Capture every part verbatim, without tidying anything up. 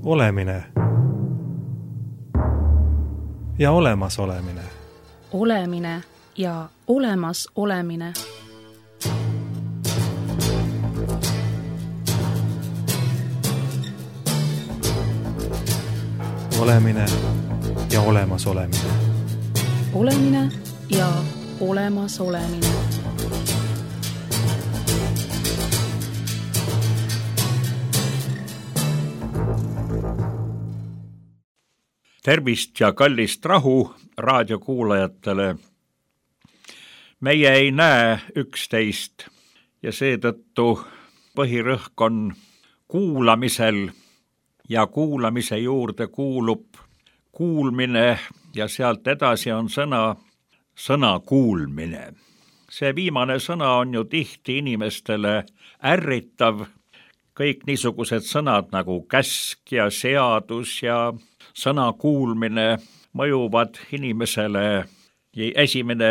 Olemine ja olemas olemine. Olemine ja olemas olemine. Olemine ja olemas olemine. Olemine ja olemas olemine. Tervist ja kallist rahu raadiokuulajatele. Meie ei näe üksteist ja seetõttu põhirõhk on kuulamisel ja kuulamise juurde kuulub kuulmine ja sealt edasi on sõna, sõna kuulmine. See viimane sõna on ju tihti inimestele ärritav. Kõik niisugused sõnad nagu käsk ja seadus ja sõna kuulmine mõjuvad inimesele ja esimene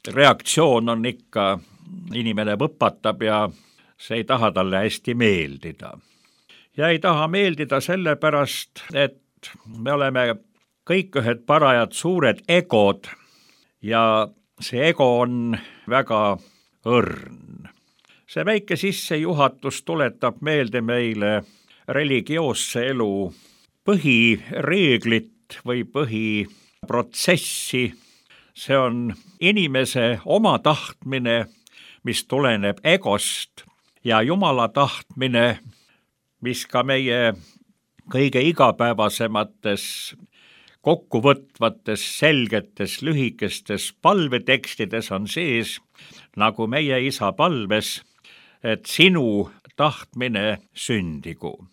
reaktsioon on ikka, inimene võpatab ja see ei taha talle hästi meeldida. Ja ei taha meeldida sellepärast, et me oleme kõik ühed parajad suured egod ja see ego on väga õrn. See väike sissejuhatus tuletab meelde meile religioosse elu põhireeglit või põhiprotsessi. See on inimese oma tahtmine, mis tuleneb egost ja Jumala tahtmine, mis ka meie kõige igapäevasemates kokkuvõtvates, selgetes, lühikestes palvetekstides on sees, nagu meie isa palves, et sinu tahtmine sündigu.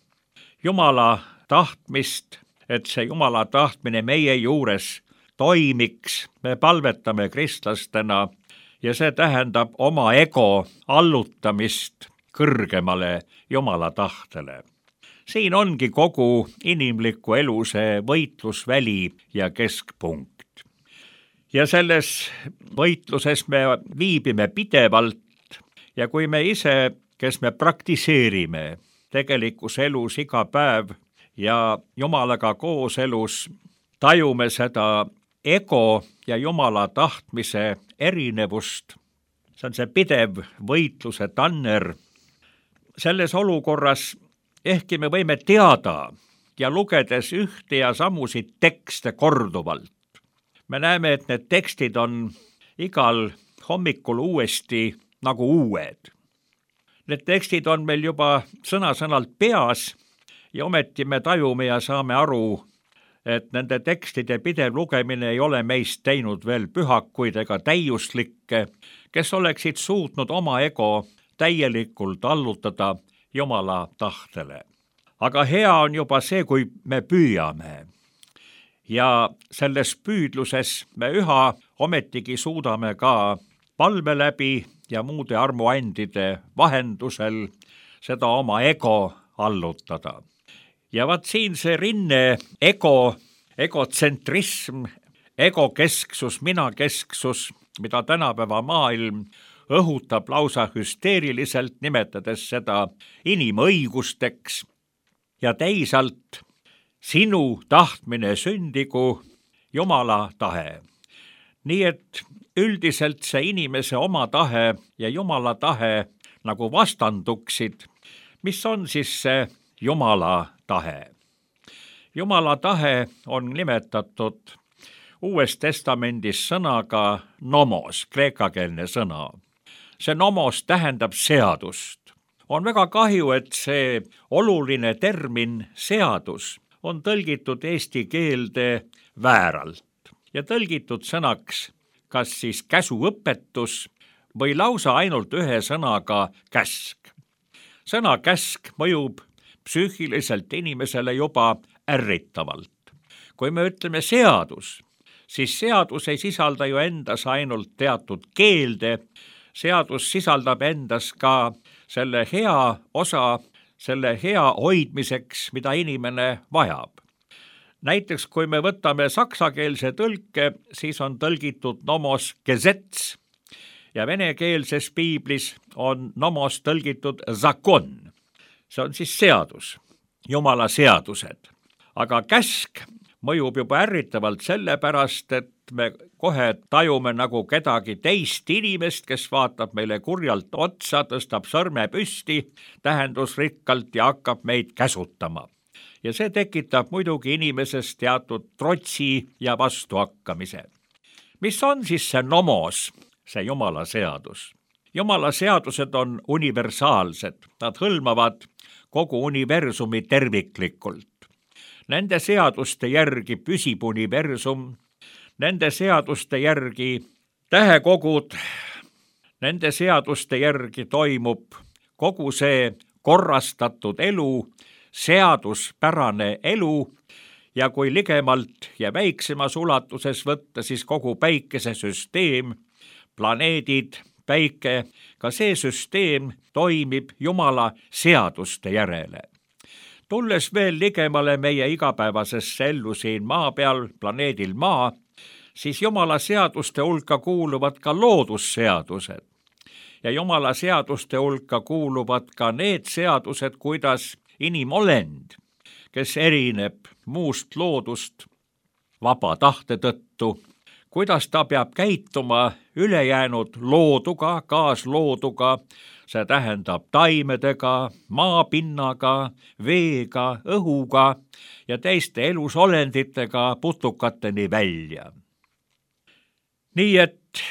Jumala tahtmist, et see Jumala tahtmine meie juures toimiks, me palvetame kristlastena ja see tähendab oma ego allutamist kõrgemale Jumala tahtele. Siin ongi kogu inimliku elu see võitlusväli ja keskpunkt. Ja selles võitluses me viibime pidevalt ja kui me ise, kes me praktiseerime tegelikus elus iga päev ja Jumalaga koos elus, tajume seda ego ja Jumala tahtmise erinevust. See on see pidev võitluse tanner. Selles olukorras ehkki me võime teada ja lugedes ühte ja samusid tekste korduvalt. Me näeme, et need tekstid on igal hommikul uuesti nagu uued. Need tekstid on meil juba sõna-sõnalt peas ja ometi me tajume ja saame aru, et nende tekstide pidev lugemine ei ole meist teinud veel pühakuid ega täiuslikke, kes oleksid suutnud oma ego täielikult allutada Jumala tahtele. Aga hea on juba see, kui me püüame. Ja selles püüdluses me üha ometigi suudame ka palve läbi ja muude armuandide vahendusel seda oma ego allutada. Ja vaat siin see rinne ego, egotsentrism, egokesksus, minakesksus, mida tänapäeva maailm õhutab lausa hüsteeriliselt, nimetades seda inimõigusteks ja teisalt sinu tahtmine sündigu Jumala tahe. Nii et üldiselt see inimese oma tahe ja Jumala tahe nagu vastanduksid, mis on siis see Jumala tahe. Jumala tahe on nimetatud Uues Testamendis sõnaga nomos, kreekakeelne sõna. See nomos tähendab seadust. On väga kahju, et see oluline termin seadus on tõlgitud eesti keelde vääralt ja tõlgitud sõnaks kas siis käsuõpetus või lausa ainult ühe sõnaga käsk. Sõna käsk mõjub psüühiliselt inimesele juba ärritavalt. Kui me ütleme seadus, siis seadus ei sisalda ju endas ainult teatud keelde, seadus sisaldab endas ka selle hea osa, selle hea hoidmiseks, mida inimene vajab. Näiteks kui me võtame saksakeelse tõlke, siis on tõlgitud nomos Gesetz ja venekeelses piiblis on nomos tõlgitud zakon. See on siis seadus. Jumala seadused. Aga käsk mõjub juba ärritavalt sellepärast, et me kohe tajume nagu kedagi teist inimest, kes vaatab meile kurjalt otsa, tõstab sõrme püsti tähendusrikkalt ja hakkab meid käsutama. Ja see tekitab muidugi inimeses teatud trotsi ja vastuhakkamise. Mis on siis see nomos, see Jumala seadus? Jumala seadused on universaalsed, nad hõlmavad kogu universumi terviklikult. Nende seaduste järgi püsib universum, nende seaduste järgi tähekogud, nende seaduste järgi toimub kogu see korrastatud elu, seaduspärane elu ja kui ligemalt ja väiksemas ulatuses võtta, siis kogu päikesesüsteem, planeedid, päike, ka see süsteem toimib Jumala seaduste järele. Tulles veel ligemale meie igapäevasesse ellu siin maa peal, planeedil Maa, siis Jumala seaduste hulka kuuluvad ka loodusseadused. Ja Jumala seaduste hulka kuuluvad ka need seadused, kuidas inimolend, kes erineb muust loodust vaba tahte tõttu, kuidas ta peab käituma ülejäänud looduga, kaaslooduga, see tähendab taimedega, maapinnaga, veega, õhuga ja teiste elusolenditega putukateni välja. Nii et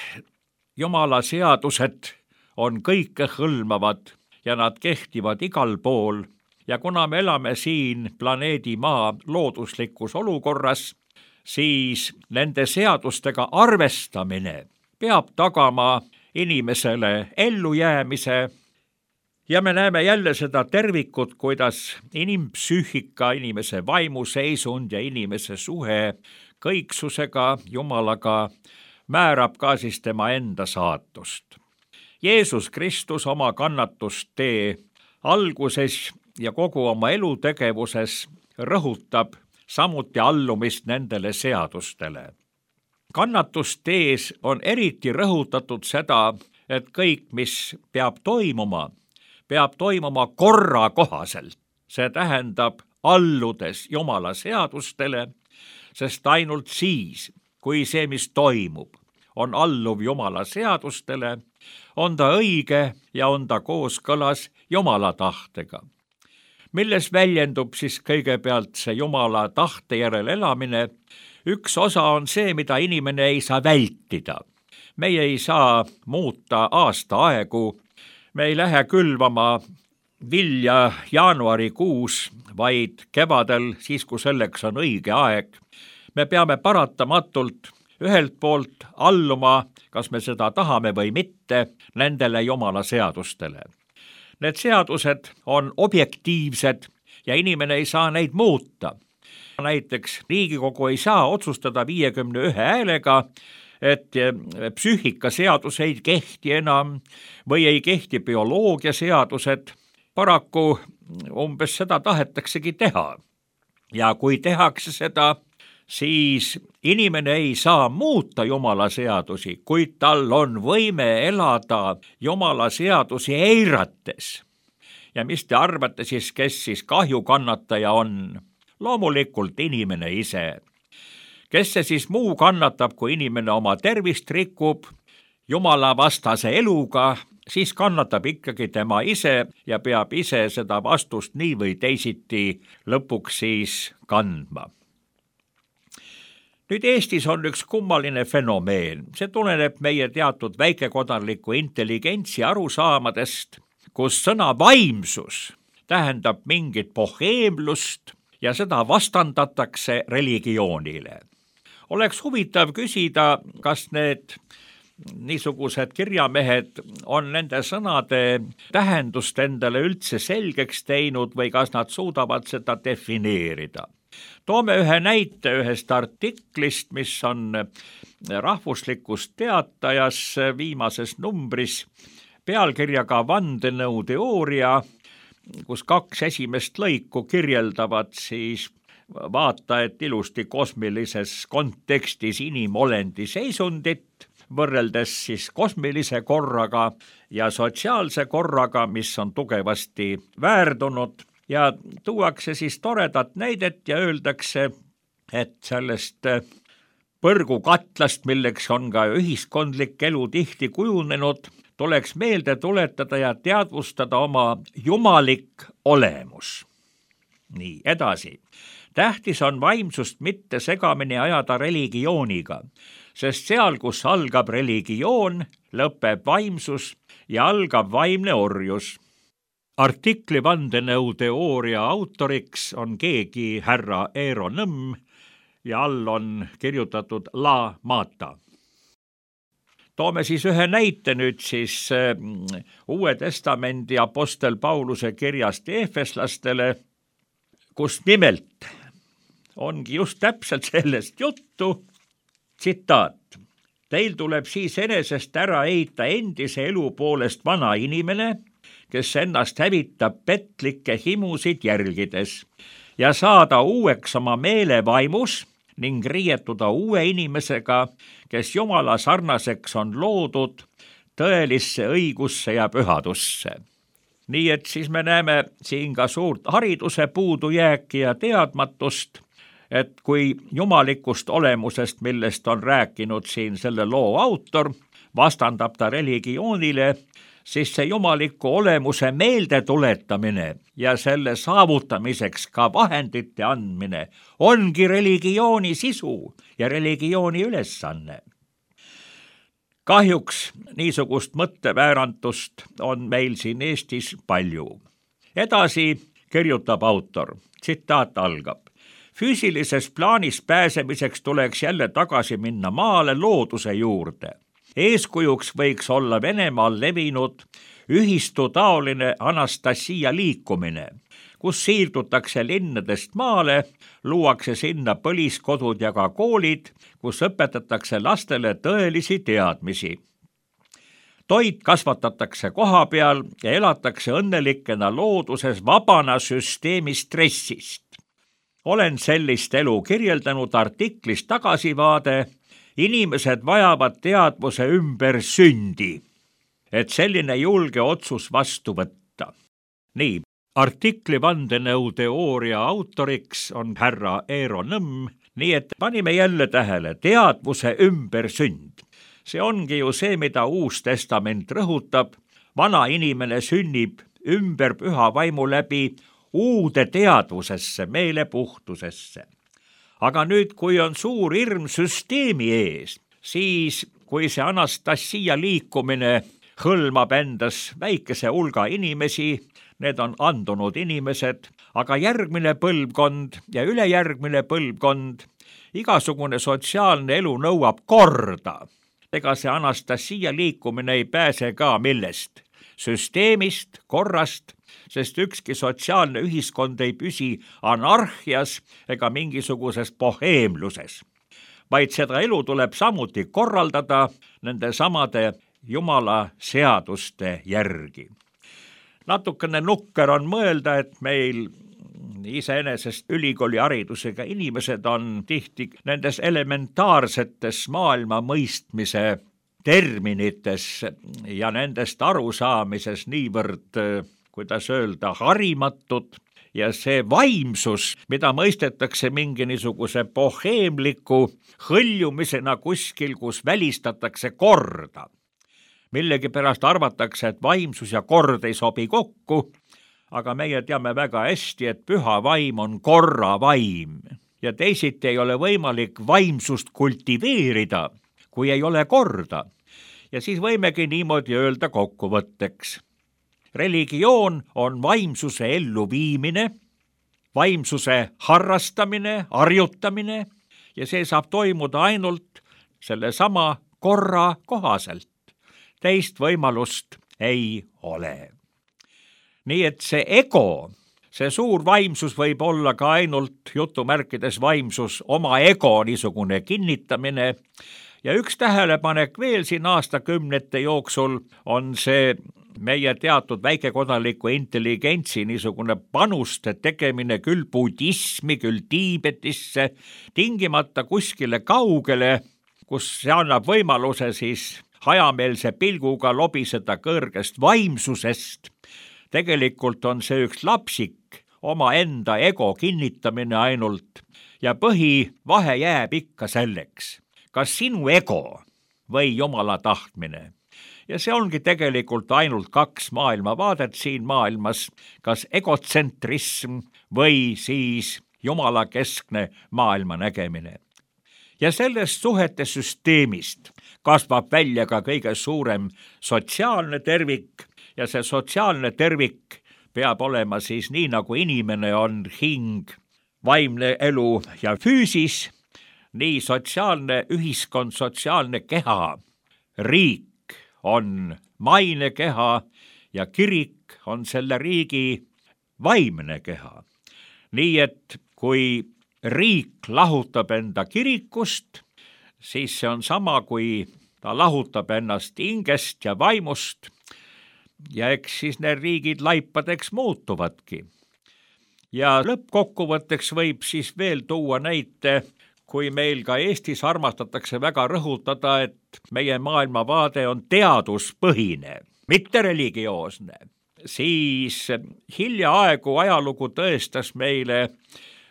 Jumala seadused on kõikehõlmavad ja nad kehtivad igal pool ja kuna me elame siin planeedi Maa looduslikus olukorras, siis nende seadustega arvestamine peab tagama inimesele ellujäämise ja me näeme jälle seda tervikut, kuidas inimpsüühika, inimese vaimuseisund ja inimese suhe kõiksusega, Jumalaga määrab ka siis tema enda saatust. Jeesus Kristus oma kannatustee alguses ja kogu oma elutegevuses rõhutab samuti allumist nendele seadustele. Kannatustees on eriti rõhutatud seda, et kõik, mis peab toimuma, peab toimuma korra kohaselt. See tähendab alludes Jumala seadustele, sest ainult siis, kui see, mis toimub, on alluv Jumala seadustele, on ta õige ja on ta kooskõlas Jumala tahtega. Milles väljendub siis kõigepealt see Jumala tahte järel elamine? Üks osa on see, mida inimene ei saa vältida. Meie ei saa muuta aastaaegu, me ei lähe külvama vilja jaanuarikuus, vaid kevadel, siis kui selleks on õige aeg. Me peame paratamatult ühelt poolt alluma, kas me seda tahame või mitte, nendele Jumala seadustele. Need seadused on objektiivsed ja inimene ei saa neid muuta. Näiteks Riigikogu ei saa otsustada viiekümne ühe häälega, et psüühikaseadus ei kehti enam või ei kehti bioloogiaseadused. Paraku umbes seda tahetaksegi teha. Ja kui tehakse seda, siis inimene ei saa muuta Jumala seadusi, kuid tal on võime elada Jumala seadusi eirates. Ja mis te arvate siis, kes siis kahjukannataja on? Loomulikult inimene ise. Kes see siis muu kannatab, kui inimene oma tervist rikub Jumala vastase eluga, siis kannatab ikkagi tema ise ja peab ise seda vastust nii või teisiti lõpuks siis kandma. Nüüd Eestis on üks kummaline fenomeen. See tuleneb meie teatud väikekodanliku intelligentsi arusaamadest, kus sõna vaimsus tähendab mingit boheemlust ja seda vastandatakse religioonile. Oleks huvitav küsida, kas need niisugused kirjamehed on nende sõnade tähendust endale üldse selgeks teinud või kas nad suudavad seda defineerida. Toome ühe näite ühest artiklist, mis on Rahvuslikus Teatajas viimases numbris pealkirjaga Vandenõuteooria, kus kaks esimest lõiku kirjeldavad siis vaata, et ilusti kosmilises kontekstis inimolendi seisundit, võrreldes siis kosmilise korraga ja sotsiaalse korraga, mis on tugevasti väärdunud ja tuuakse siis toredat näidet ja öeldakse, et sellest põrgukatlast, milleks on ka ühiskondlik elu tihti kujunenud, tuleks meelde tuletada ja teadvustada oma jumalik olemus. Nii, edasi. Tähtis on vaimsust mitte segamini ajada religiooniga, sest seal, kus algab religioon, lõpeb vaimsus ja algab vaimne orjus. Artikli vandenõuteooria autoriks on keegi härra Eero Nõmm ja all on kirjutatud La Mata. Toome siis ühe näite nüüd siis Uue Testamendi apostel Pauluse kirjast eefeslastele, kus nimelt ongi just täpselt sellest juttu. Tsitaat. Teil tuleb siis enesest ära heita endise elu poolest vana inimene, kes ennast hävitab petlikke himusid jälgides ja saada uueks oma meele vaimus ning riietuda uue inimesega, kes Jumala sarnaseks on loodud tõelisse õigusse ja pühadusse. Nii et siis me näeme siin ka suurt hariduse puudujääki ja teadmatust, et kui jumalikust olemusest, millest on rääkinud siin selle loo autor, vastandab ta religioonile, siis see jumaliku olemuse meelde tuletamine ja selle saavutamiseks ka vahendite andmine ongi religiooni sisu ja religiooni ülesanne. Kahjuks niisugust mõtteväärantust on meil siin Eestis palju. Edasi kirjutab autor, tsitaat algab. Füüsilises plaanis pääsemiseks tuleks jälle tagasi minna maale looduse juurde. Eeskujuks võiks olla Venemaal levinud ühistutaoline Anastasia liikumine, kus siirdutakse linnadest maale, luuakse sinna põliskodud ja ka koolid, kus õpetatakse lastele tõelisi teadmisi. Toit kasvatatakse koha peal ja elatakse õnnelikena looduses vabana süsteemi stressist. Olen sellist elu kirjeldanud artiklis Tagasivaade. Inimesed vajavad teadvuse ümber sündi, et selline julge otsus vastu võtta. Nii, artikli vandenõuteooria autoriks on härra Eero Nõmm, nii et panime jälle tähele teadvuse ümber sünd. See ongi ju see, mida Uus Testament rõhutab. Vana inimene sünnib ümber püha vaimu läbi uude teadvusesse, meelepuhtusesse. Aga nüüd, kui on suur hirm süsteemi ees, siis kui see Anastasia liikumine hõlmab endas väikese hulga inimesi, need on andunud inimesed, aga järgmine põlvkond ja ülejärgmine põlvkond, igasugune sotsiaalne elu nõuab korda. Ega see Anastasia liikumine ei pääse ka millest? Süsteemist, korrast, sest ükski sotsiaalne ühiskond ei püsi anarhias ega mingisuguses boheemluses, vaid seda elu tuleb samuti korraldada nende samade Jumala seaduste järgi. Natukene nukker on mõelda, et meil iseenesest ülikooli haridusega inimesed on tihti nendes elementaarsetes maailma mõistmise terminites ja nendest arusaamises niivõrd, kuidas öelda, harimatud ja see vaimsus, mida mõistetakse mingi niisuguse boheemliku hõljumisena kuskil, kus välistatakse korda. Millegipärast arvatakse, et vaimsus ja kord ei sobi kokku, aga meie teame väga hästi, et püha vaim on korra vaim ja teisiti ei ole võimalik vaimsust kultiveerida, kui ei ole korda. Ja siis võimegi niimoodi öelda kokkuvõtteks. Religioon on vaimsuse elluviimine, vaimsuse harrastamine, harjutamine ja see saab toimuda ainult selle sama korra kohaselt. Teist võimalust ei ole. Nii et see ego, see suur vaimsus võib olla ka ainult jutumärkides vaimsus, oma ego niisugune kinnitamine. Ja üks tähelepanek veel siin aastakümnete jooksul on see meie teatud väikekodaliku intelligentsi niisugune panuste tegemine küll budismi, küll Tiibetisse, tingimata kuskile kaugele, kus see annab võimaluse siis hajameelse pilguga lobiseda kõrgest vaimsusest. Tegelikult on see üks lapsik omaenda ego kinnitamine ainult ja põhivahe jääb ikka selleks, kas sinu ego või Jumala tahtmine. Ja see ongi tegelikult ainult kaks maailmavaadet siin maailmas, kas egotsentrism või siis Jumala keskne maailma nägemine. Ja sellest suhete süsteemist kasvab välja ka kõige suurem sotsiaalne tervik ja see sotsiaalne tervik peab olema siis nii, nagu inimene on hing, vaimne elu ja füüsis, nii sotsiaalne ühiskond, sotsiaalne keha, riik on maine keha ja kirik on selle riigi vaimne keha. Nii et kui riik lahutab enda kirikust, siis see on sama, kui ta lahutab ennast hingest ja vaimust ja eks siis need riigid laipadeks muutuvadki. Ja lõppkokkuvõtteks võib siis veel tuua näite, kui meil ka Eestis armastatakse väga rõhutada, et meie maailmavaade on teaduspõhine, mitte religioosne, siis hiljaaegu ajalugu tõestas meile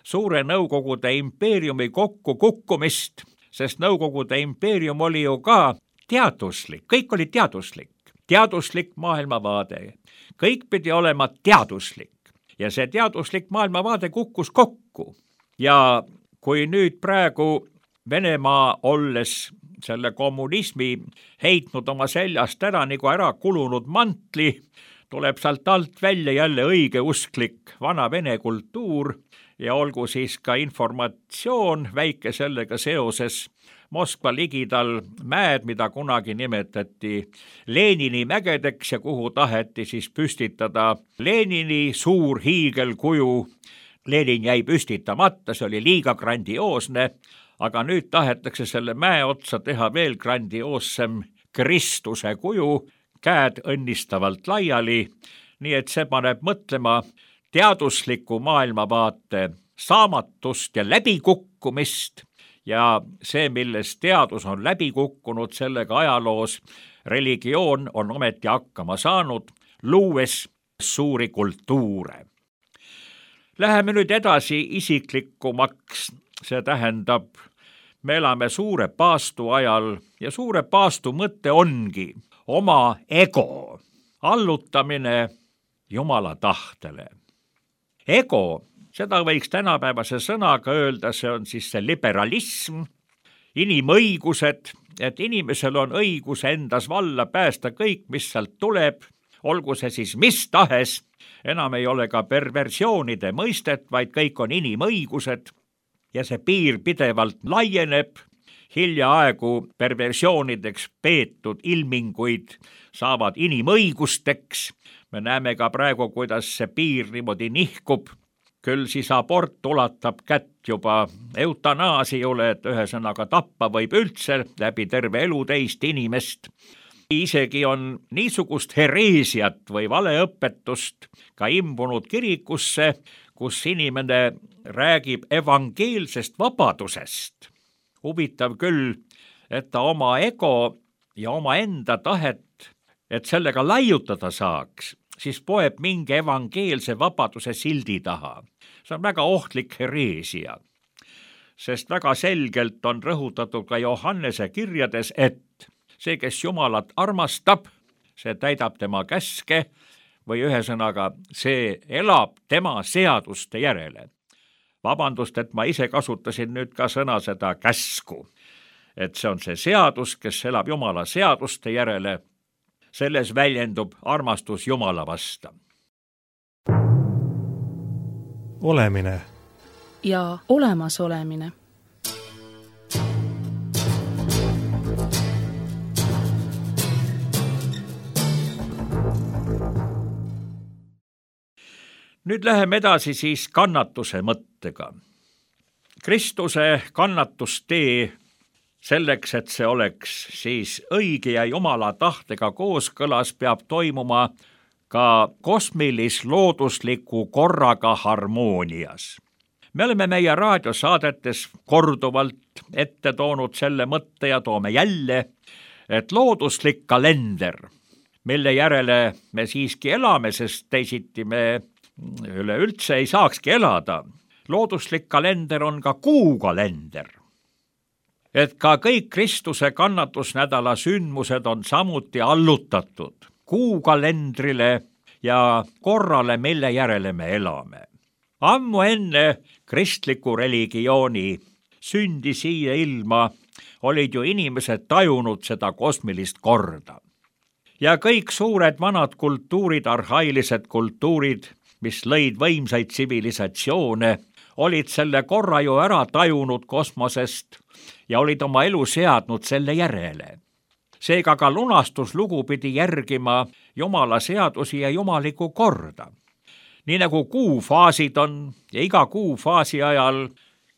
suure Nõukogude impeeriumi kokkukukkumist, sest Nõukogude impeerium oli ju ka teaduslik, kõik oli teaduslik, teaduslik maailmavaade, kõik pidi olema teaduslik ja see teaduslik maailmavaade kukkus kokku ja kui nüüd praegu Venemaa olles selle kommunismi heitnud oma seljast ära nagu ära kulunud mantli, tuleb sealt alt välja jälle õigeusklik vana vene kultuur ja olgu siis ka informatsioon väike sellega seoses. Moskva ligidal mäed, mida kunagi nimetati Lenini mägedeks ja kuhu taheti siis püstitada Lenini suur hiigelkuju. Lenin jäi püstitamata, see oli liiga grandioosne, aga nüüd tahetakse selle mäe otsa teha veel grandioossem Kristuse kuju, käed õnnistavalt laiali, nii et see paneb mõtlema teadusliku maailmavaate saamatust ja läbikukkumist ja see, milles teadus on läbi kukkunud, sellega ajaloos religioon on ometi hakkama saanud, luues suuri kultuure. Läheme nüüd edasi isiklikumaks, see tähendab, me elame suure paastu ajal ja suure paastu mõte ongi oma ego allutamine Jumala tahtele. Ego, seda võiks tänapäevase sõnaga öelda, see on siis see liberalism, inimõigused, et inimesel on õigus endas valla päästa kõik, mis sealt tuleb, olgu see siis mis tahes, enam ei ole ka perversioonide mõistet, vaid kõik on inimõigused ja see piir pidevalt laieneb, hiljaaegu perversioonideks peetud ilminguid saavad inimõigusteks, me näeme ka praegu, kuidas see piir niimoodi nihkub, küll siis abort ulatab kätt juba eutanaasiule, et ühesõnaga tappa võib üldse läbi terve elu teist inimest. Isegi on niisugust hereesiat või valeõpetust ka imbunud kirikusse, kus inimene räägib evangeelsest vabadusest. Huvitav küll, et ta oma ego ja oma enda tahet, et sellega laiutada saaks, siis poeb mingi evangeelse vabaduse sildi taha. See on väga ohtlik hereesia, sest väga selgelt on rõhutatud ka Johannese kirjades, et see, kes Jumalat armastab, see täidab tema käske või ühesõnaga, see elab tema seaduste järele. Vabandust, et ma ise kasutasin nüüd ka sõna seda käsku, et see on see seadus, kes elab Jumala seaduste järele, selles väljendub armastus Jumala vasta. Olemine ja olemasolemine. Nüüd läheme edasi siis kannatuse mõttega. Kristuse kannatustee selleks, et see oleks siis õige ja Jumala tahtega kooskõlas, peab toimuma ka kosmilis-loodusliku korraga harmoonias. Me oleme meie raadiosaadetes korduvalt ette toonud selle mõtte ja toome jälle, et looduslik kalender, mille järele me siiski elame, sest teisiti me üleüldse ei saakski elada. Looduslik kalender on ka kuukalender. Et ka kõik Kristuse kannatusnädala sündmused on samuti allutatud kuukalendrile ja korrale, mille järele me elame. Ammu enne kristliku religiooni sündi siia ilma olid ju inimesed tajunud seda kosmilist korda. Ja kõik suured vanad kultuurid, arhailised kultuurid, mis lõid võimsaid tsivilisatsioone, olid selle korra ju ära tajunud kosmosest ja olid oma elu seadnud selle järele. Seega ka lunastuslugu pidi järgima Jumala seadusi ja jumalikku korda. Nii nagu kuufaasid on ja iga kuufaasi ajal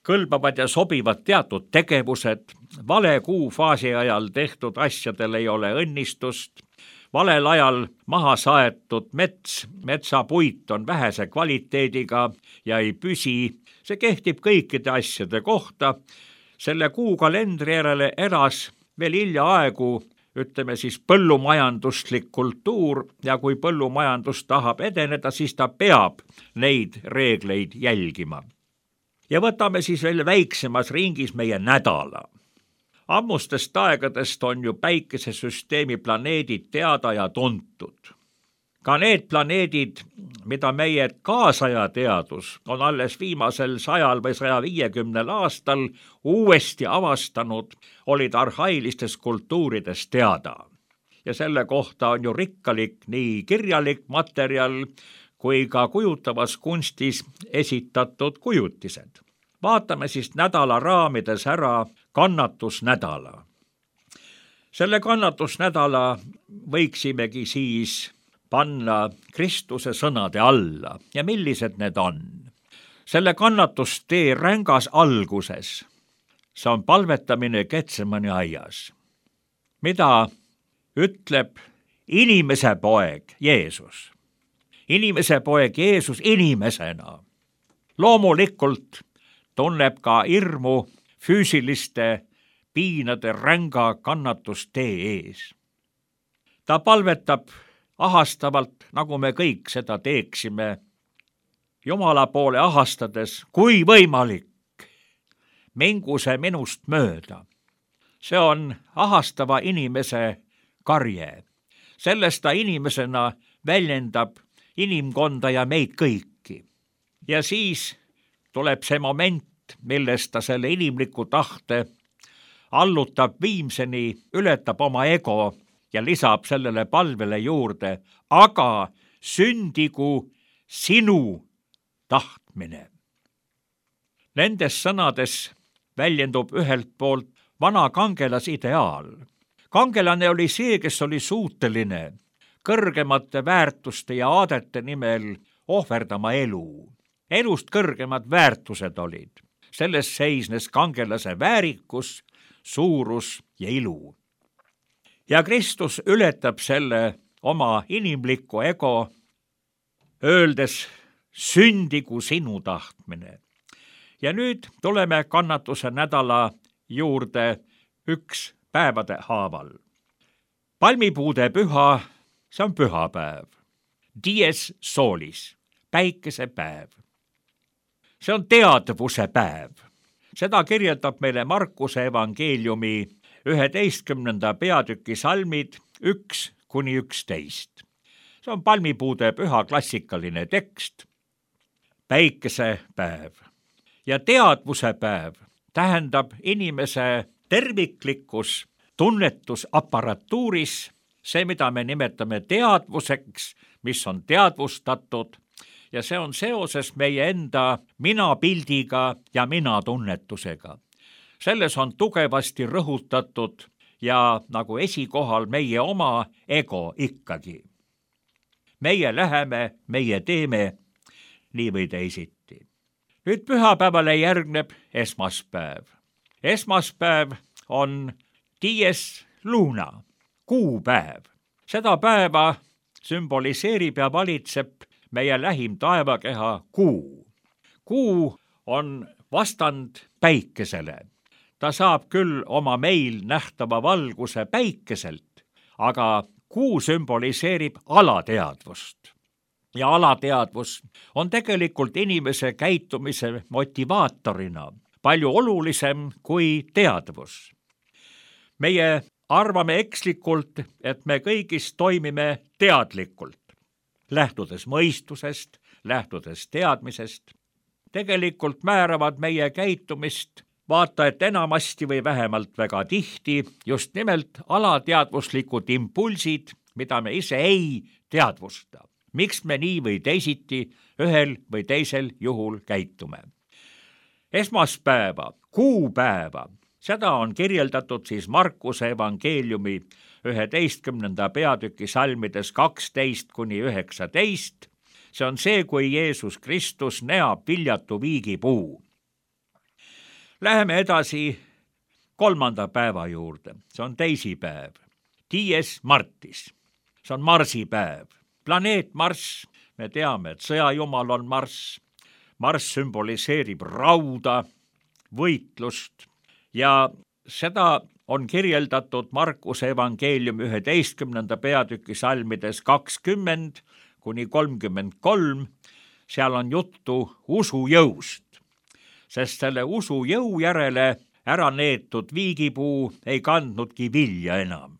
kõlbavad ja sobivad teatud tegevused, vale kuufaasi ajal tehtud asjadel ei ole õnnistust, valel ajal maha saetud mets, metsapuit on vähese kvaliteediga ja ei püsi, see kehtib kõikide asjade kohta. Selle kuukalendri järele elas veel hiljaaegu, ütleme siis põllumajanduslik kultuur ja kui põllumajandus tahab edeneda, siis ta peab neid reegleid jälgima. Ja võtame siis veel väiksemas ringis meie nädala. Ammustest aegadest on ju päikesesüsteemi planeedid teada ja tuntud. Ka need planeedid, mida meie kaasaja teadus on alles viimasel sajal või saja viiekümnel aastal uuesti avastanud, olid arhailistes kultuurides teada. Ja selle kohta on ju rikkalik nii kirjalik materjal kui ka kujutavas kunstis esitatud kujutised. Vaatame siis nädala raamides ära kannatusnädala. Selle kannatusnädala võiksimegi siis panna Kristuse sõnade alla ja millised need on. Selle kannatustee rängas alguses, see on palvetamine Getsemani aias. Mida ütleb inimese poeg Jeesus? Inimese poeg Jeesus inimesena. Loomulikult tunneb ka hirmu füüsiliste piinade ränga kannatustee ees. Ta palvetab ahastavalt, nagu me kõik seda teeksime, Jumala poole ahastades, kui võimalik, mingu see minust mööda. See on ahastava inimese karje. Sellest ta inimesena väljendab inimkonda ja meid kõiki. Ja siis tuleb see moment, millest ta selle inimliku tahte allutab viimseni, ületab oma ego ja lisab sellele palvele juurde, aga sündigu sinu tahtmine. Nendes sõnades väljendub ühelt poolt vana kangelasideaal. Kangelane oli see, kes oli suuteline kõrgemate väärtuste ja aadete nimel ohverdama elu. Elust kõrgemad väärtused olid. Selles seisnes kangelase väärikus, suurus ja ilu. Ja Kristus ületab selle oma inimlikku ego, öeldes sündigu sinu tahtmine. Ja nüüd tuleme kannatuse nädala juurde üks päevade haaval. Palmipuude püha, see on pühapäev. Dies solis, päikesepäev. See on teadvuse päev. Seda kirjeldab meile Markuse evangeeliumi üheteistkümnenda peatüki salmid üks kuni üksteist. See on palmipuude püha klassikaline tekst. Päikesepäev. Ja teadvuse päev tähendab inimese terviklikkus tunnetusapparatuuris, see, mida me nimetame teadvuseks, mis on teadvustatud, ja see on seoses meie enda minapildiga ja minatunnetusega. Selles on tugevasti rõhutatud ja nagu esikohal meie oma ego ikkagi. Meie läheme, meie teeme nii või teisiti. Nüüd pühapäevale järgneb esmaspäev. Esmaspäev on dies luna, kuupäev. Seda päeva sümboliseerib ja valitseb meie lähim taevakeha kuu. Kuu on vastand päikesele. Ta saab küll oma meil nähtava valguse päikeselt, aga kuu sümboliseerib alateadvust. ja alateadvus on tegelikult inimese käitumise motivaatorina palju olulisem kui teadvus. Meie arvame ekslikult, et me kõigis toimime teadlikult, lähtudes mõistusest, lähtudes teadmisest. Tegelikult määravad meie käitumist vaata et enamasti või vähemalt väga tihti just nimelt alateadvuslikud impulsid, mida me ise ei teadvusta. Miks me nii või teisiti ühel või teisel juhul käitume? Esmaspäeva, kuupäeva, seda on kirjeldatud siis Markuse evangeeliumi üheteistkümnenda peatüki salmides kaksteist kuni üheksateist. See on see, kui Jeesus Kristus neab viljatu viigipuu. Läheme edasi kolmanda päeva juurde. See on teisipäev. Dies Martis. See on marsipäev. Planeet Marss, me teame, et sõjajumal on Marss. Marss sümboliseerib rauda, võitlust ja seda on kirjeldatud Markuse evangeeliumi üheteistkümnenda peatüki salmides kakskümmend kuni kolmkümmend kolm. Seal on juttu usujõust, sest selle usujõu järele ära neetud viigipuu ei kandnudki vilja enam.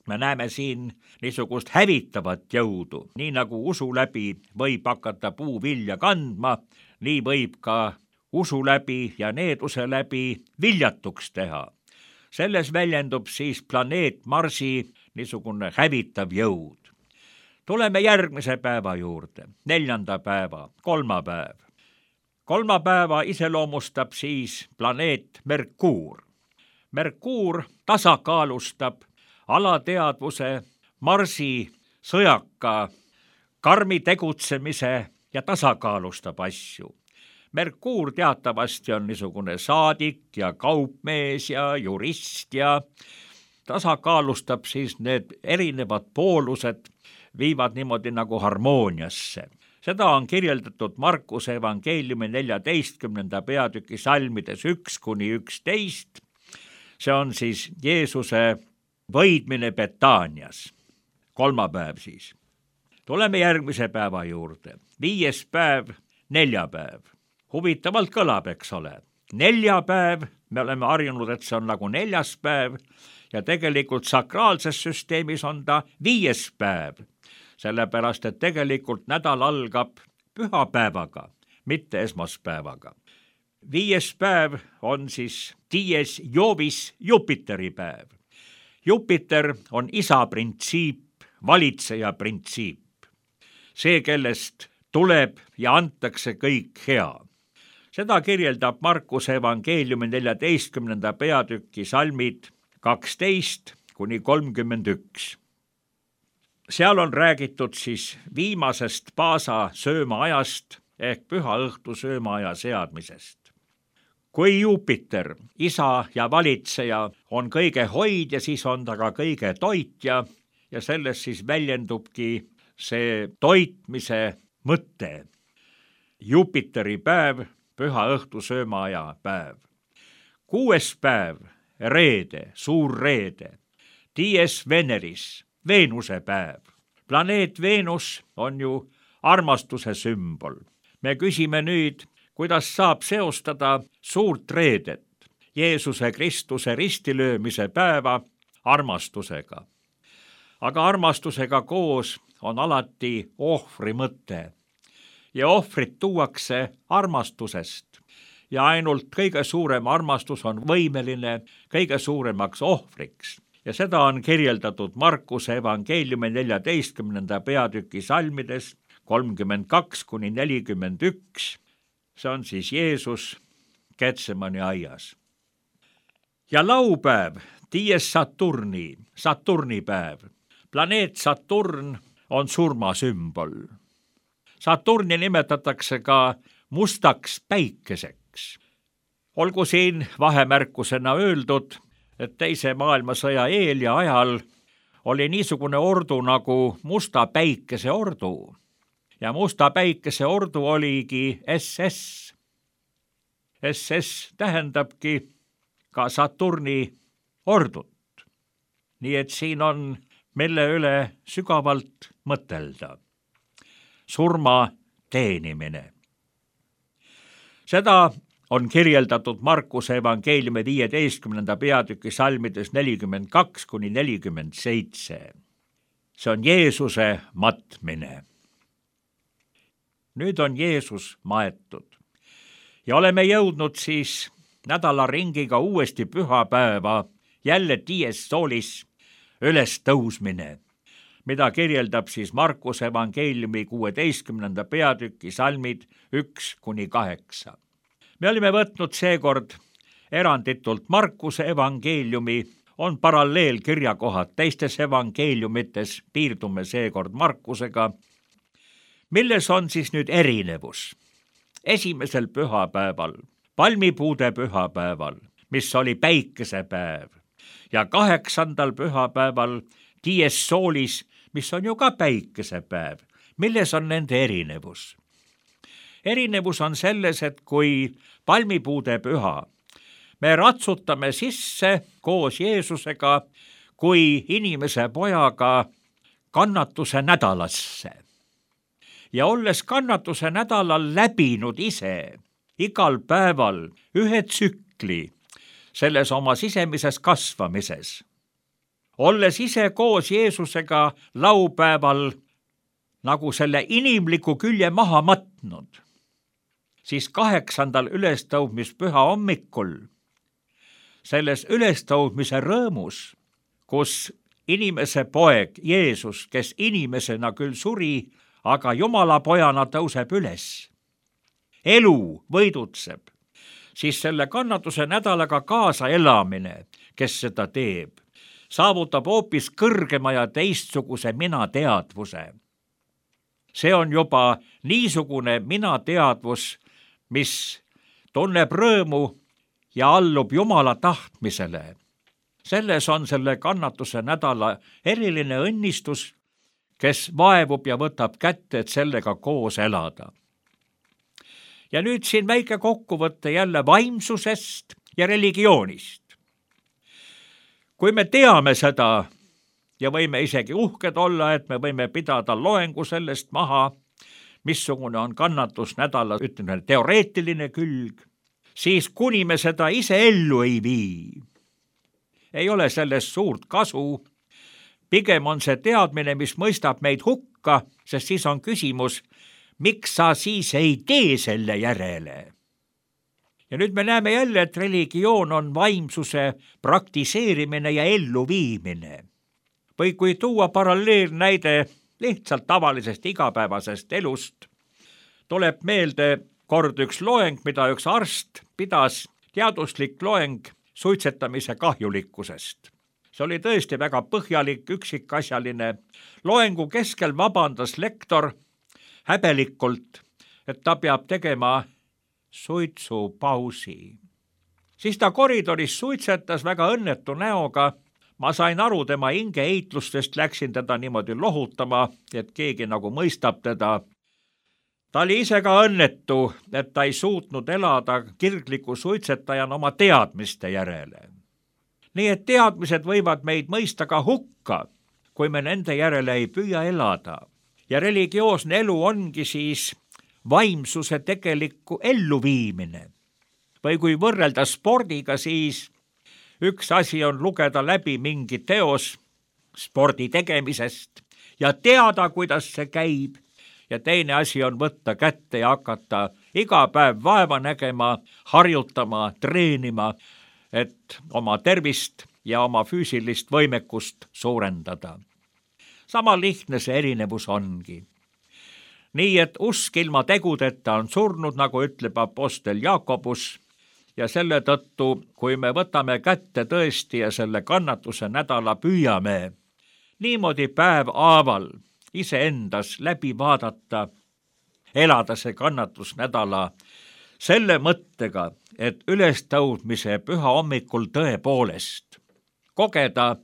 Me näeme siin niisugust hävitavat jõudu, nii nagu usu läbi võib hakata puu vilja kandma, nii võib ka usu läbi ja needuse läbi viljatuks teha. Selles väljendub siis planeet Marsi niisugune hävitav jõud. Tuleme järgmise päeva juurde, neljanda päeva, kolmapäev. Kolmapäeva iseloomustab siis planeet Merkuur. Merkuur tasakaalustab alateadvuse, Marsi sõjaka, karmi tegutsemise ja tasakaalustab asju. Merkuur teatavasti on niisugune saadik ja kaupmees ja jurist ja tasakaalustab siis need erinevad poolused, viivad niimoodi nagu harmooniasse. Seda on kirjeldatud Markuse evangeeliumi neljateistkümnenda peatüki salmides üks kuni üksteist. See on siis Jeesuse võidmine Betaanias. Kolmapäev siis. Tuleme järgmise päeva juurde. Viies päev, neljapäev. Huvitavalt kõlab, eks ole. Neljapäev, me oleme harjunud, et see on nagu neljas päev ja tegelikult sakraalses süsteemis on ta viies päev. Sellepärast, et tegelikult nädal algab pühapäevaga, mitte esmaspäevaga. Viies päev on siis dies Jovis Jupiteri päev. Jupiter on isa printsiip, valitseja printsiip. See, kellest tuleb ja antakse kõik hea. Seda kirjeldab Markuse evangeeliumi neljateistkümnenda peatüki salmid kaksteist kuni kolmkümmend üks. Seal on räägitud siis viimasest paasa söömaajast ehk püha õhtu söömaaja seadmisest. Kui Jupiter, isa ja valitseja, on kõige hoidja, siis on ta ka kõige toitja ja selles siis väljendubki see toitmise mõte. Jupiteri päev, püha õhtu söömaaja päev. Kuues päev, reede, suur reede. Dies Veneris, Veenuse päev. Planeet Veenus on ju armastuse sümbol. Me küsime nüüd, kuidas saab seostada suurt reedet, Jeesuse Kristuse ristilöömise päeva armastusega. Aga armastusega koos on alati ohvri mõte. Ja ohvrit tuuakse armastusest. Ja ainult kõige suurem armastus on võimeline kõige suuremaks ohvriks. Ja seda on kirjeldatud Markuse evangeeliumi neljateistkümnenda peatüki salmides kolmkümmend kaks kuni nelikümmend üks. See on siis Jeesus Getsemani aias. Ja laupäev, dies Saturni, Saturni päev. Planeet Saturn on surmasümbol. Saturni nimetatakse ka mustaks päikeseks. Olgu siin vahemärkusena öeldud, et teise maailmasõja eel ja ajal oli niisugune ordu nagu Musta päikese ordu. Ja Musta päikese ordu oligi S S. S S tähendabki ka Saturni ordut. Nii et siin on mille üle sügavalt mõtelda. surma teenimine. Seda on kirjeldatud Markuse evangeeliumi viieteistkümnenda peatüki salmides nelikümmend kaks kuni nelikümmend seitse. See on Jeesuse matmine. Nüüd on Jeesus maetud ja oleme jõudnud siis nädalaringiga uuesti pühapäeva, jälle dies solis, üles tõusmine, mida kirjeldab siis Markuse evangeeliumi kuueteistkümnenda peatüki salmid üks kuni kaheksa. Me olime võtnud seekord eranditult Markuse evangeeliumi, on paralleelkirjakohad teistes evangeeliumites, piirdume seekord Markusega. Milles on siis nüüd erinevus? Esimesel pühapäeval, palmipuude pühapäeval, mis oli päikesepäev, ja kaheksandal pühapäeval dies solis, mis on ju ka päikesepäev. Milles on nende erinevus? Erinevus on selles, et kui palmipuude püha, me ratsutame sisse koos Jeesusega kui inimese pojaga kannatuse nädalasse. Ja olles kannatuse nädalal läbinud ise igal päeval ühe tsükli selles oma sisemises kasvamises, olles ise koos Jeesusega laupäeval nagu selle inimliku külje maha matnud, siis kaheksandal ülestõudmispüha hommikul, selles ülestõudmise rõõmus, kus inimese poeg Jeesus, kes inimesena küll suri, aga Jumala pojana tõuseb üles, elu võidutseb, siis selle kannatuse nädalaga kaasa elamine, kes seda teeb, saavutab hoopis kõrgema ja teistsuguse minateadvuse. See on juba niisugune minateadvus, mis tunneb rõõmu ja allub Jumala tahtmisele. Selles on selle kannatuse nädala eriline õnnistus, kes vaevub ja võtab kätte, et sellega koos elada. Ja nüüd siin väike kokkuvõte jälle vaimsusest ja religioonist. Kui me teame seda ja võime isegi uhked olla, et me võime pidada loengu sellest maha, missugune on kannatusnädala, ütleme, teoreetiline külg, siis kuni me seda ise ellu ei vii, ei ole sellest suurt kasu. Pigem on see teadmine, mis mõistab meid hukka, sest siis on küsimus, miks sa siis ei tee selle järele. Ja nüüd me näeme jälle, et religioon on vaimsuse praktiseerimine ja elluviimine. Või kui tuua paralleelnäide lihtsalt tavalisest igapäevasest elust, tuleb meelde kord üks loeng, mida üks arst pidas, teaduslik loeng suitsetamise kahjulikkusest. See oli tõesti väga põhjalik, üksikasjaline. Loengu keskel vabandas lektor häbelikult, et ta peab tegema suitsupausi. Siis ta koridoris suitsetas väga õnnetu näoga. Ma sain aru tema hingeheitlustest, läksin teda niimoodi lohutama, et keegi nagu mõistab teda. Ta oli ise ka õnnetu, et ta ei suutnud elada kirgliku suitsetajana oma teadmiste järele. Nii et teadmised võivad meid mõista ka hukka, kui me nende järele ei püüa elada. Ja religioosne elu ongi siis vaimsuse tegelikku elluviimine. Või kui võrrelda spordiga, siis üks asi on lugeda läbi mingi teos spordi tegemisest ja teada, kuidas see käib. Ja teine asi on võtta kätte ja hakata iga päev vaeva nägema, harjutama, treenima, et oma tervist ja oma füüsilist võimekust suurendada. Sama lihtne see erinevus ongi. Nii et usk ilma tegudeta on surnud, nagu ütleb apostel Jaakobus, ja selle tõttu, kui me võtame kätte tõesti ja selle kannatuse nädala püüame, niimoodi päev haaval iseendas läbi vaadata, elada see kannatusnädala selle mõttega, et ülestõudmise püha hommikul tõepoolest kogeda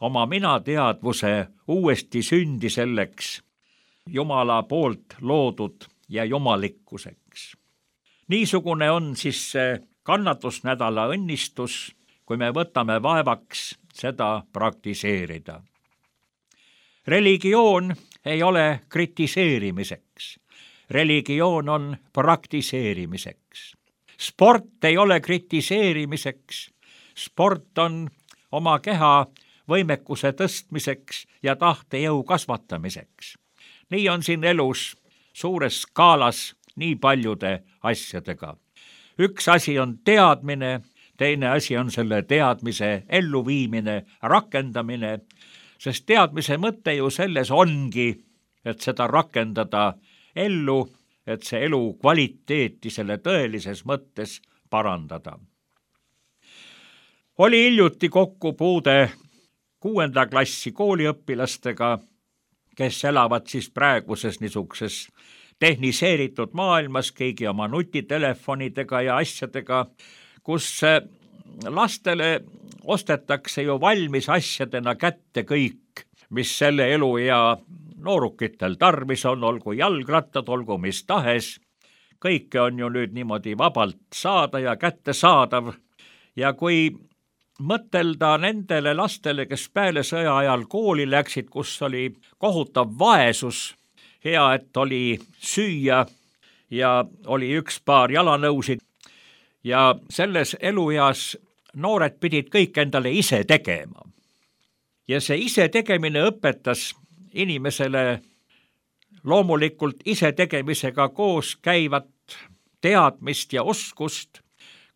oma minateadvuse uuesti sündi selleks Jumala poolt loodud ja jumalikkuseks. Niisugune on siis see kannatusnädala õnnistus, kui me võtame vaevaks seda praktiseerida. Religioon ei ole kritiseerimiseks. Religioon on praktiseerimiseks. Sport ei ole kritiseerimiseks. Sport on oma keha võimekuse tõstmiseks ja tahtejõu kasvatamiseks. Nii on siin elus suures skaalas nii paljude asjadega. Üks asi on teadmine, teine asi on selle teadmise elluviimine, rakendamine, sest teadmise mõte ju selles ongi, et seda rakendada ellu, et see elu kvaliteeti selle tõelises mõttes parandada. Oli hiljuti kokkupuude kuuenda klassi kooliõpilastega, kes elavad siis praeguses niisuguses tehniseeritud maailmas kõigi oma nutitelefonidega ja asjadega, kus lastele ostetakse ju valmis asjadena kätte kõik, mis selle elu ja noorukitel tarvis on, olgu jalgrattad, olgu mis tahes. Kõike on ju nüüd niimoodi vabalt saada ja kättesaadav. Ja kui mõtelda nendele lastele, kes peale sõja ajal kooli läksid, kus oli kohutav vaesus, hea, et oli süüa ja oli üks paar jalanõusid ja selles elueas noored pidid kõik endale ise tegema. Ja see ise tegemine õpetas inimesele loomulikult ise tegemisega koos käivat teadmist ja oskust.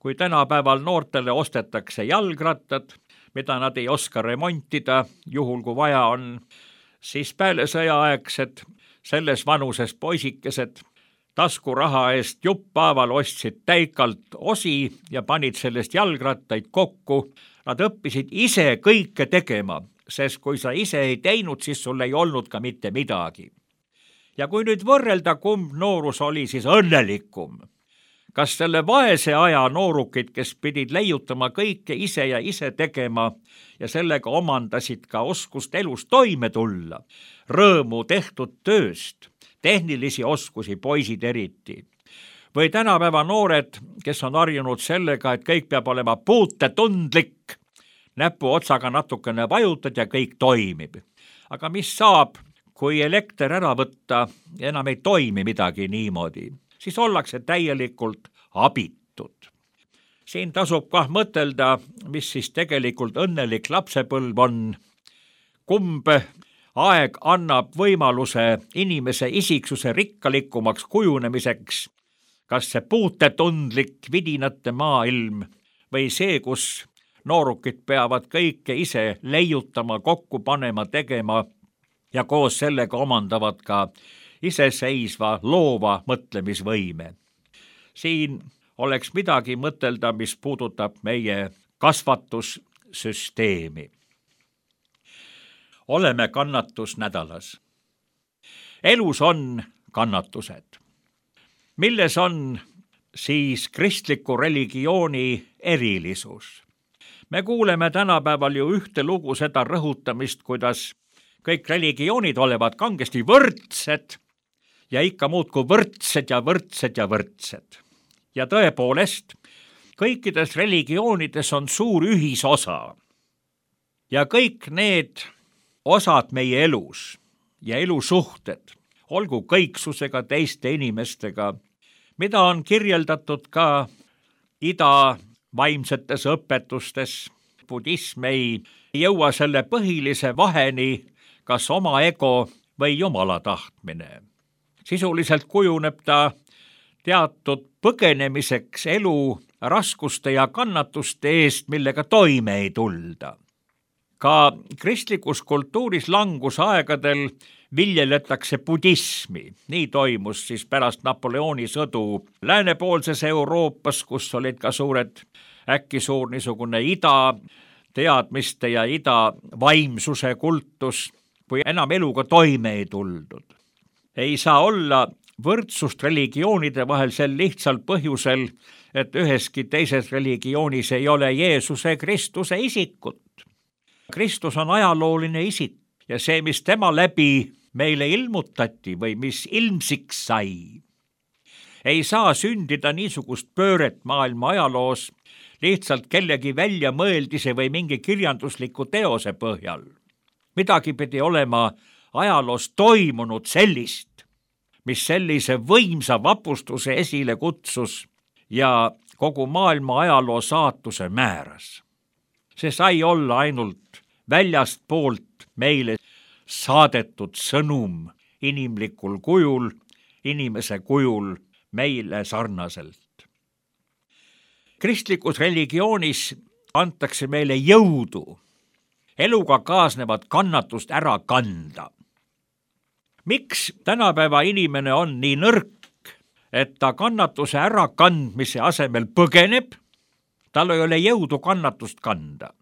Kui tänapäeval noortele ostetakse jalgrattad, mida nad ei oska remontida, juhul kui vaja on, siis peale sõjaaegsed selles vanuses poisikesed taskuraha eest juppaaval ostsid täikalt osi ja panid sellest jalgrattaid kokku. Nad õppisid ise kõike tegema, sest kui sa ise ei teinud, siis sul ei olnud ka mitte midagi. Ja kui nüüd võrrelda, kumb noorus oli siis õnnelikum, kas selle vaese aja noorukid, kes pidid leiutama kõike ise ja ise tegema ja sellega omandasid ka oskust elus toime tulla, rõõmu tehtud tööst, tehnilisi oskusi, poisid eriti. Või tänapäeva noored, kes on harjunud sellega, et kõik peab olema puutetundlik, näpu otsaga natukene vajutad ja kõik toimib. Aga mis saab, kui elekter ära võtta, enam ei toimi midagi niimoodi, siis ollakse täielikult abitud. Siin tasub kah mõtelda, mis siis tegelikult õnnelik lapsepõlv on, kumb aeg annab võimaluse inimese isiksuse rikkalikumaks kujunemiseks, kas see puutetundlik vidinate maailm või see, kus noorukid peavad kõike ise leiutama, kokku panema, tegema ja koos sellega omandavad ka iseseisva loova mõtlemisvõime. Siin oleks midagi mõtelda, mis puudutab meie kasvatussüsteemi. Oleme kannatusnädalas. Elus on kannatused. Milles on siis kristliku religiooni erilisus? Me kuuleme tänapäeval ju ühte lugu seda rõhutamist, kuidas kõik religioonid olevat kangesti võrdsed ja ikka muudkui võrdsed ja võrdsed ja võrdsed. Ja tõepoolest, kõikides religioonides on suur ühisosa. Ja kõik need osad meie elus ja elusuhted, olgu kõiksusega teiste inimestega, mida on kirjeldatud ka ida vaimsetes õpetustes. Budism ei jõua selle põhilise vaheni, kas oma ego või jumala tahtmine. Sisuliselt kujuneb ta teatud põgenemiseks elu raskuste ja kannatuste eest, millega toime ei tulda. Ka kristlikus kultuuris langusaegadel viljeletakse budismi. Nii toimus siis pärast Napoleoni sõdu läänepoolses Euroopas, kus olid ka suured, äkki suur niisugune ida teadmiste ja ida vaimsuse kultus, kui enam eluga toime ei tuldud. Ei saa olla võrdsust religioonide vahel sel lihtsal põhjusel, et üheski teises religioonis ei ole Jeesuse Kristuse isikut. Kristus on ajalooline isik ja see, mis tema läbi meile ilmutati või mis ilmsiks sai, ei saa sündida niisugust pööret maailma ajaloos lihtsalt kellegi väljamõeldise või mingi kirjandusliku teose põhjal. Midagi pidi olema ajaloos toimunud sellist, mis sellise võimsa vapustuse esile kutsus ja kogu maailma ajaloo saatuse määras. See sai olla ainult väljast poolt meile saadetud sõnum inimlikul kujul, inimese kujul meile sarnaselt. Kristlikus religioonis antakse meile jõudu eluga kaasnevat kannatust ära kanda. Miks tänapäeva inimene on nii nõrk, et ta kannatuse ärakandmise asemel põgeneb? Tal ei ole jõudu kannatust kanda.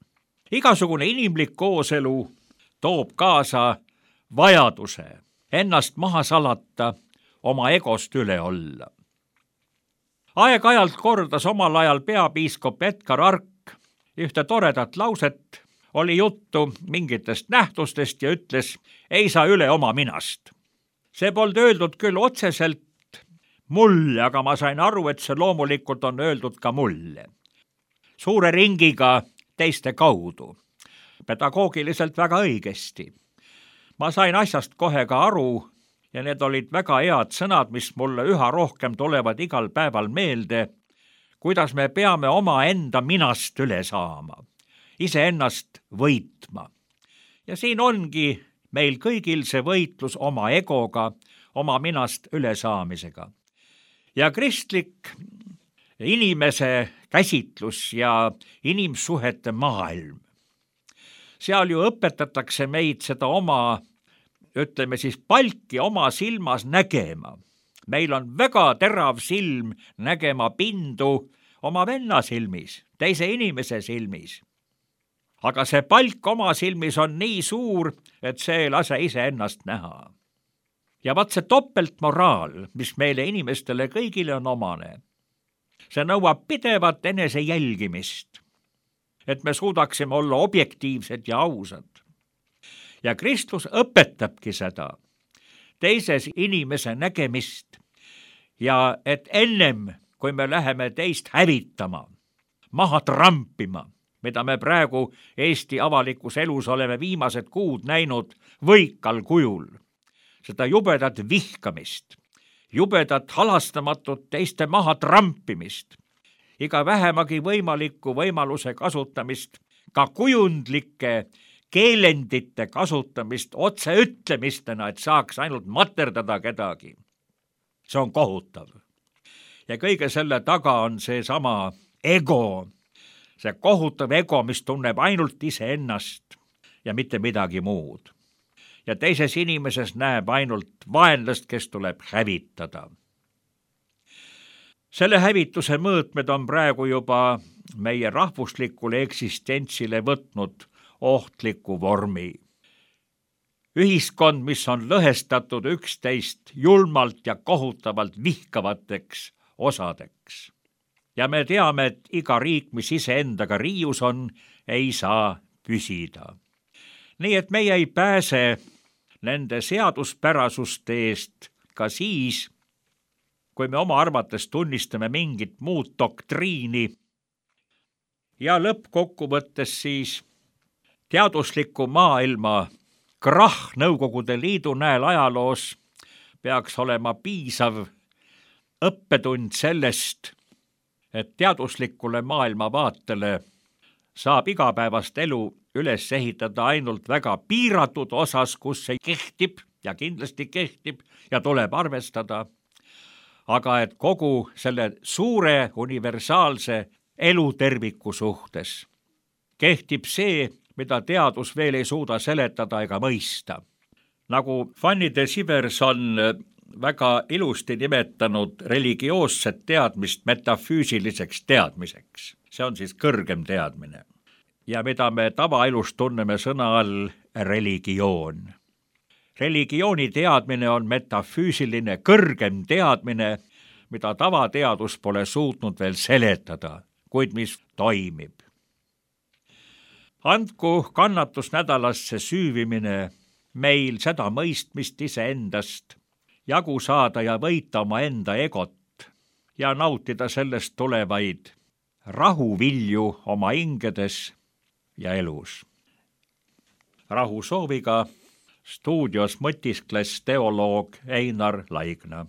Igasugune inimlik kooselu toob kaasa vajaduse ennast maha salata, oma egost üle olla. Aeg-ajalt kordas omal ajal peapiiskop Edgar Ark ühte toredat lauset, oli juttu mingitest nähtustest ja ütles, ei saa üle oma minast. See polnud öeldud küll otseselt mulle, aga ma sain aru, et see loomulikult on öeldud ka mulle. Suure ringiga teiste kaudu. Pedagoogiliselt väga õigesti. Ma sain asjast kohe ka aru ja need olid väga head sõnad, mis mulle üha rohkem tulevad igal päeval meelde, kuidas me peame oma enda minast üle saama, iseennast võitma. Ja siin ongi meil kõigil see võitlus oma egoga, oma minast ülesaamisega. Ja kristlik inimese käsitlus ja inimsuhete maailm. Seal ju õpetatakse meid seda oma, ütleme siis palki oma silmas nägema. Meil on väga terav silm nägema pindu oma venna silmis, teise inimese silmis. Aga see palk oma silmis on nii suur, et see ei lase iseennast näha. Ja vaat see topeltmoraal, mis meile inimestele kõigile on omane, see nõuab pidevat enese jälgimist, et me suudaksime olla objektiivsed ja ausad. Ja Kristus õpetabki seda, teises inimese nägemist ja et ennem, kui me läheme teist hävitama, maha trampima, mida me praegu Eesti avalikus elus oleme viimased kuud näinud võikal kujul, seda jubedat vihkamist, jubedat halastamatut teiste maha trampimist, iga vähemagi võimaliku võimaluse kasutamist, ka kujundlike keelendite kasutamist otse ütlemistena, et saaks ainult materdada kedagi. See on kohutav. Ja kõige selle taga on see sama ego, see kohutav ego, mis tunneb ainult iseennast ja mitte midagi muud. Ja teises inimeses näeb ainult vaenlast, kes tuleb hävitada. Selle hävituse mõõtmed on praegu juba meie rahvuslikule eksistentsile võtnud ohtliku vormi. Ühiskond, mis on lõhestatud üksteist julmalt ja kohutavalt vihkavateks osadeks. Ja me teame, et iga riik, mis iseendaga riius on, ei saa püsida. Nii et meie ei pääse nende seaduspärasuste eest ka siis, kui me oma arvates tunnistame mingit muud doktriini. Ja lõppkokkuvõttes siis teadusliku maailma krahh Nõukogude Liidu näel ajaloos peaks olema piisav õppetund sellest, et teaduslikule maailmavaatele saab igapäevast elu üles ehitada ainult väga piiratud osas, kus see kehtib ja kindlasti kehtib ja tuleb arvestada, aga et kogu selle suure universaalse eluterviku suhtes kehtib see, mida teadus veel ei suuda seletada ega mõista. Nagu Fanny de Sivers on väga ilusti nimetanud religioosset teadmist metafüüsiliseks teadmiseks. See on siis kõrgem teadmine. Ja mida me tavaelus tunneme sõna all religioon. Religiooni teadmine on metafüüsiline kõrgem teadmine, mida tavateadus pole suutnud veel seletada, kuid mis toimib. Andku kannatusnädalasse süüvimine meil seda mõistmist iseendast, jagu saada ja võita oma enda egot ja nautida sellest tulevaid rahuvilju oma hingedes ja elus. Rahu sooviga stuudios mõtiskles teoloog Einar Laigna.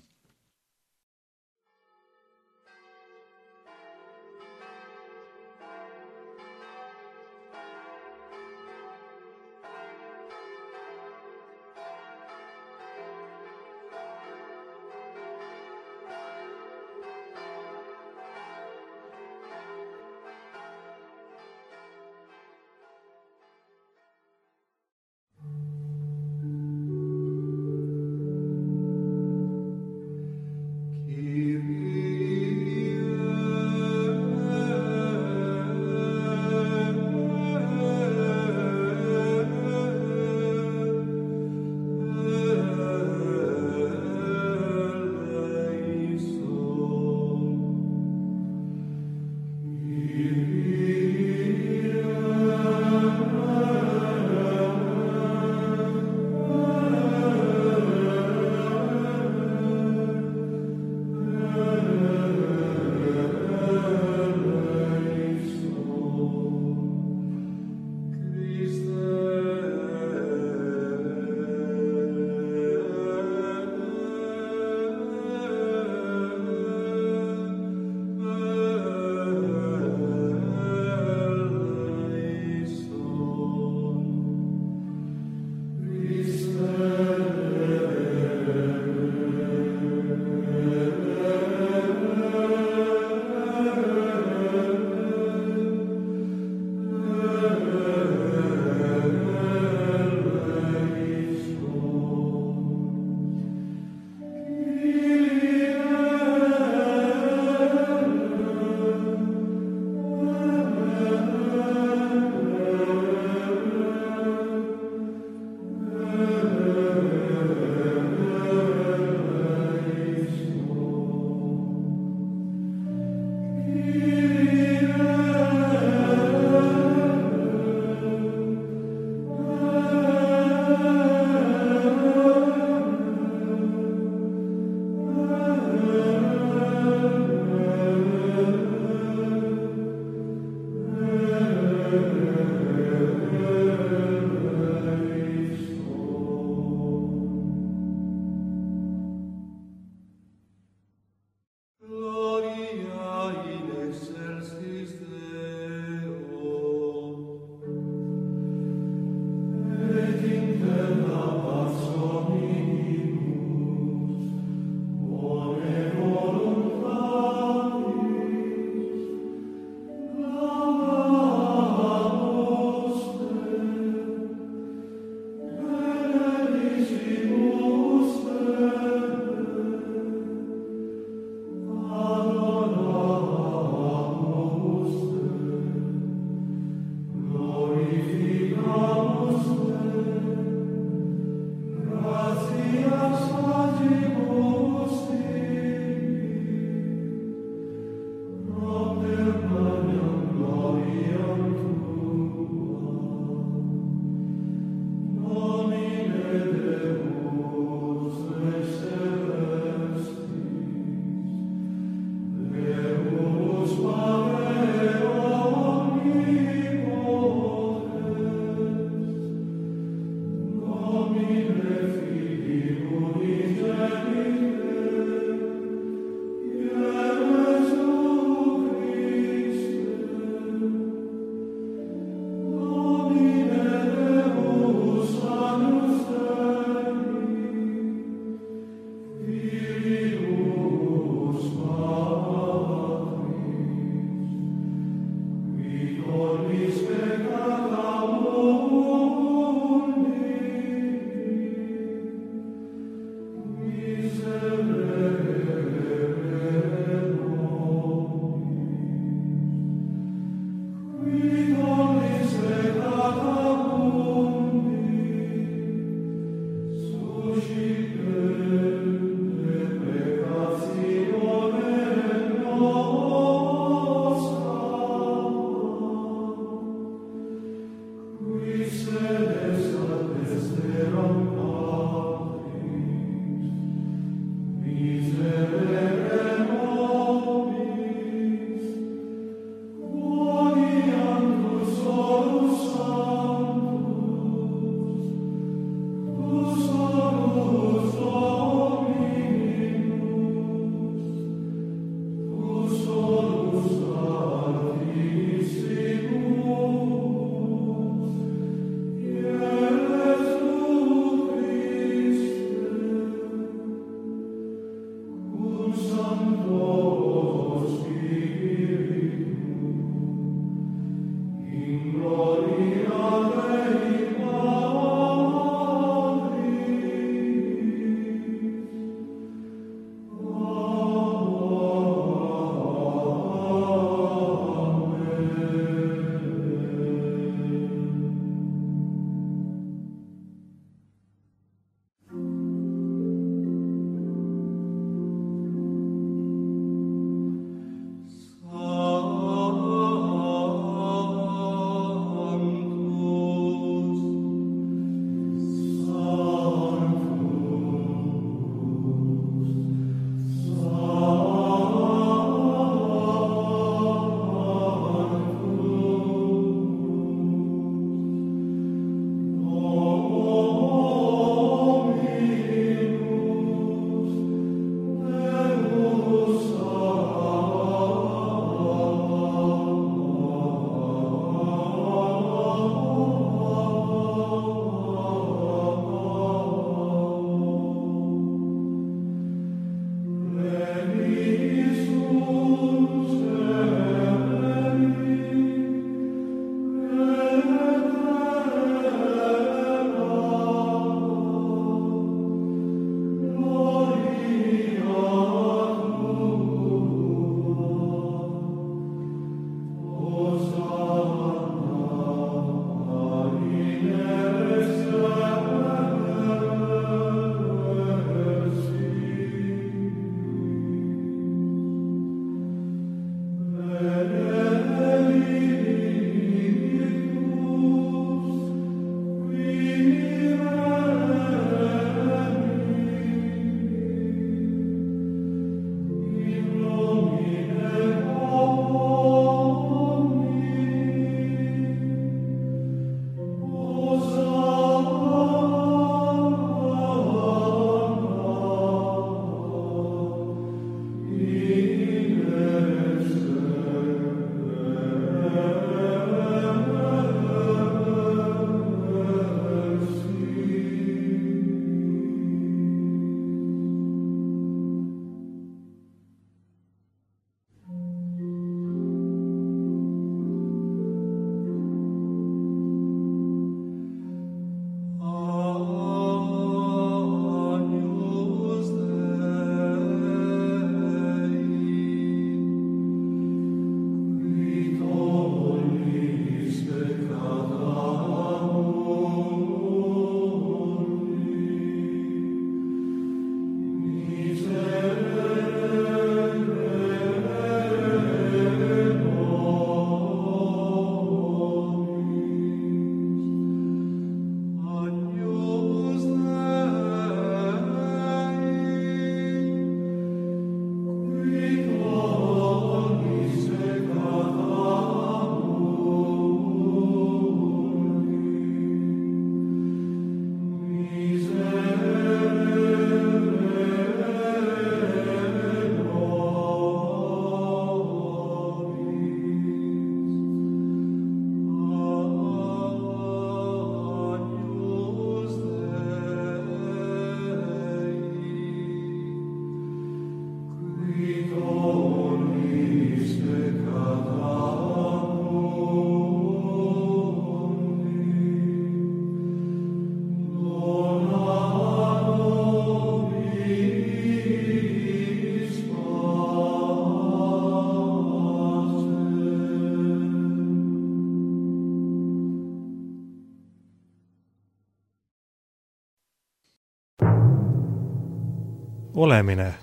olemine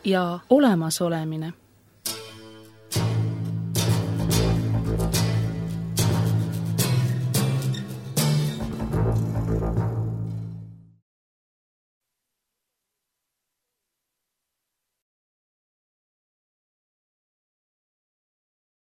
ja olemasolemine.